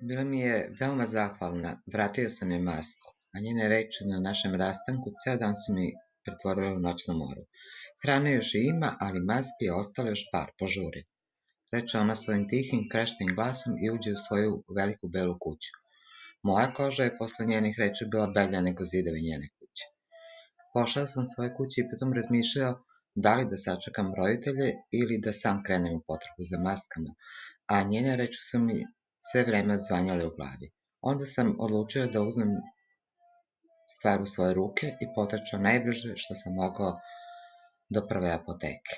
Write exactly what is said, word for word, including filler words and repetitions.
Bila mi je veoma zahvalna, vratio sam je masku, a njene reči na našem rastanku ceo dan su mi pretvorile u noćnu moru. Hrane još i ima, ali maski je ostalo još par, požuri, reče ona svojim tihim, krešnim glasom i uđe u svoju veliku belu kuću. Moja koža je posle njenih reči bila belja nego zidovi njene kuće. Pošao sam svoje kuće i potom razmišljao da li da sačekam roditelje ili da sam krenem u potragu za maskama, a njene reči su mi sve vreme odzvanjale u glavi. Onda sam odlučio da uzmem stvar u svoje ruke i potrčao najbrže što sam mogao do prve apoteke.